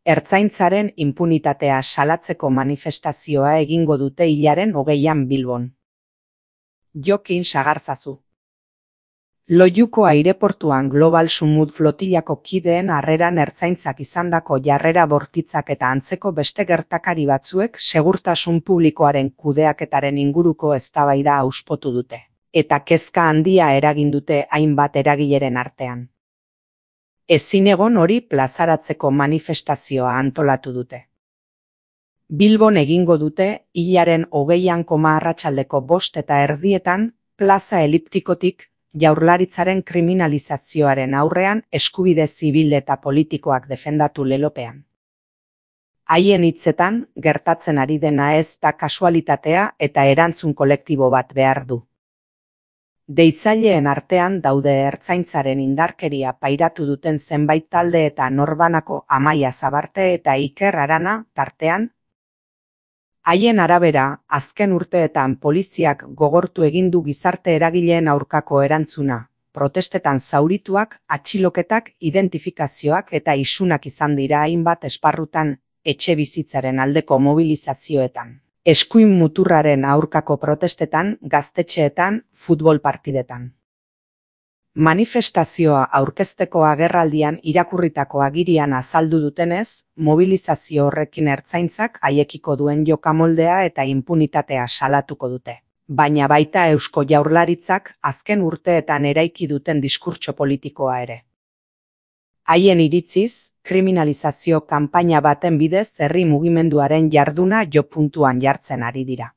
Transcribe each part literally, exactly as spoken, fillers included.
Ertzaintzaren inpunitatea salatzeko manifestazioa egingo dute hilaren hogeian Bilbon. Jokin Sagarzazu. Loiuko aireportuan Global Sumut flotillako kideen harreran ertzaintzak izandako jarrera bortitzak eta antzeko beste gertakari batzuek segurtasun publikoaren kudeaketaren inguruko eztabaida auspotu dute, eta kezka handia eragin dute hainbat eragileren artean. Ezin egon hori plazaratzeko manifestazioa antolatu dute. Bilbon egingo dute hilaren hogeian koma arratsaldeko bost eta erdietan plaza eliptikotik Jaurlaritzaren kriminalizazioaren aurrean eskubide zibil eta politikoak defendatu lelopean. Haien hitzetan, gertatzen ari dena ez da kasualitatea eta erantzun kolektibo bat behar du. Deitzaileen artean daude ertzaintzaren indarkeria pairatu duten zenbait talde eta norbanako Amaia Zabarte eta Iker Arana tartean. Haien arabera, azken urteetan poliziak gogortu egin du gizarte eragileen aurkako erantzuna, protestetan zaurituak, atxiloketak, identifikazioak eta isunak izan dira hainbat esparrutan, etxe bizitzaren aldeko mobilizazioetan, eskuin muturraren aurkako protestetan, gaztetxeetan, futbol partidetan. Manifestazioa aurkezteko agerraldian irakurritako agirian azaldu dutenez, mobilizazio horrekin ertzaintzak haiekiko duen jokamoldea eta inpunitatea salatuko dute. Baina baita Eusko Jaurlaritzak azken urteetan eraiki duten diskurtso politikoa ere. Haien iritziz, kriminalizazio kanpaina baten bidez herri mugimenduaren jarduna jo puntuan jartzen ari dira.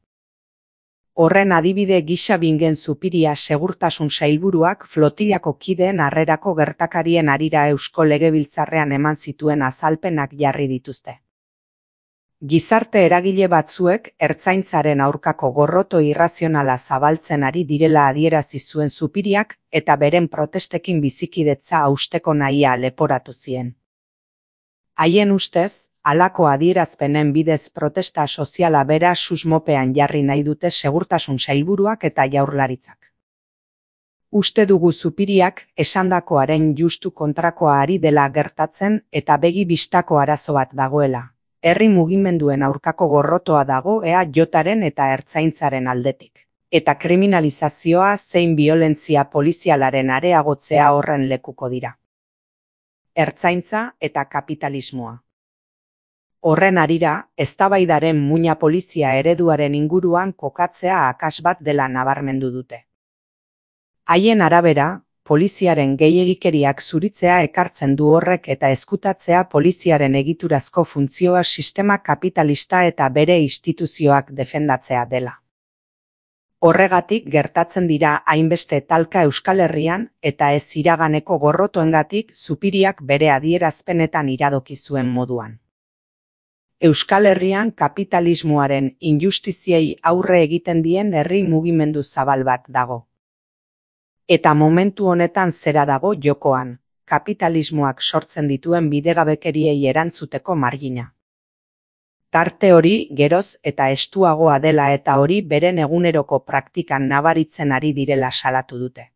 Horren adibide gisa Bingen Zupiria segurtasun sailburuak flotillako kideen harrerako gertakarien harira Eusko Legebiltzarrean eman zituen azalpenak jarri dituzte. Gizarte eragile batzuek ertzaintzaren aurkako gorroto irrazionala zabaltzen ari direla adierazi zuen Zupiriak eta beren protestekin bizikidetza hausteko nahia leporatu zien. Haien ustez, halako adierazpenen bidez protesta soziala bera susmopean jarri nahi dute segurtasun sailburuak eta Jaurlaritzak. Uste dugu Zupiriak esandakoaren justu kontrakoa ari dela gertatzen eta begi bistako arazo bat dagoela. Herri mugimenduen aurkako gorrotoa dago E A Jaren eta ertzaintzaren aldetik. Eta kriminalizazioa zein biolentzia polizialaren areagotzea horren lekuko dira. Ertzaintza eta kapitalismoa. Horren harira, eztabaidaren muina polizia ereduaren inguruan kokatzea akas bat dela nabarmendu dute. Haien arabera, poliziaren gehiegikeriak zuritzea ekartzen du horrek eta ezkutatzea poliziaren egiturazko funtzioa sistema kapitalista eta bere instituzioak defendatzea dela. Horregatik gertatzen dira hainbeste talka Euskal Herrian eta ez iraganeko gorrotoengatik Zupiriak bere adierazpenetan iradoki zuen moduan. Euskal Herrian kapitalismoaren injustiziei aurre egiten dien herri mugimendu zabal bat dago. Eta momentu honetan zera dago jokoan, kapitalismoak sortzen dituen bidegabekeriei erantzuteko margina. Tarte hori geroz eta estuagoa dela eta hori beren eguneroko praktikan nabaritzen ari direla salatu dute.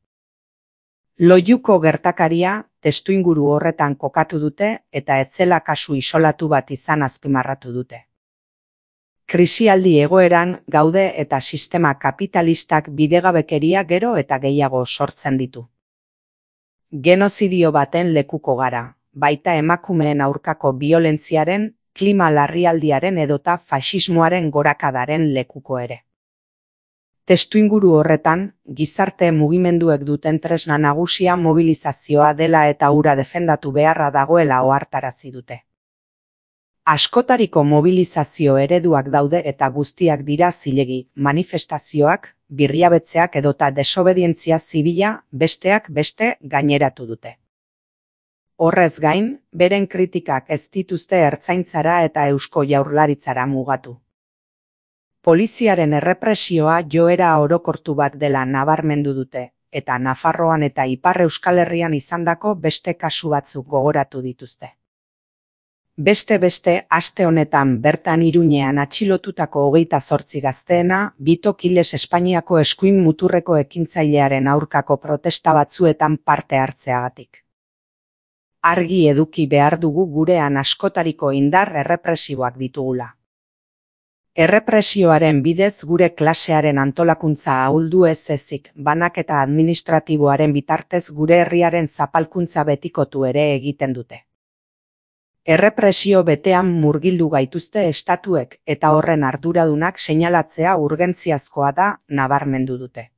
Loiuko gertakaria testuinguru horretan kokatu dute eta etzela kasu isolatu bat izan azpimarratu dute. Krisialdi egoeran gaude eta sistema kapitalistak bidegabekeria gero eta gehiago sortzen ditu. Genozidio baten lekuko gara, baita emakumeen aurkako biolentziaren, klima larrialdiaren edota faxismoaren gorakadaren lekuko ere. Testuinguru horretan, gizarte mugimenduek duten tresna nagusia mobilizazioa dela eta hura defendatu beharra dagoela ohartarazi dute. Askotariko mobilizazio ereduak daude eta guztiak dira zilegi, manifestazioak, birriabetzeak edota desobedientzia zibila besteak beste gaineratu dute. Horrez gain, beren kritikak ez dituzte ertzaintzara eta Eusko Jaurlaritzara mugatu. Poliziaren errepresioa joera orokortu bat dela nabarmendu dute, eta Nafarroan eta Ipar Euskal Herrian izandako beste kasu batzuk gogoratu dituzte. Beste beste, aste honetan bertan Iruñean atxilotutako hogeita zortzi gazteena, Bito Kiles Espainiako eskuin muturreko ekintzailearen aurkako protesta batzuetan parte hartzeagatik. Argi eduki behar dugu gurean askotariko indar errepresiboak ditugula. Errepresioaren bidez gure klasearen antolakuntza ahuldu ez ezik, banaketa administratiboaren bitartez gure herriaren zapalkuntza betikotu ere egiten dute. Errepresio betean murgildu gaituzte estatuek eta horren arduradunak seinalatzea urgentziazkoa da nabarmendu dute.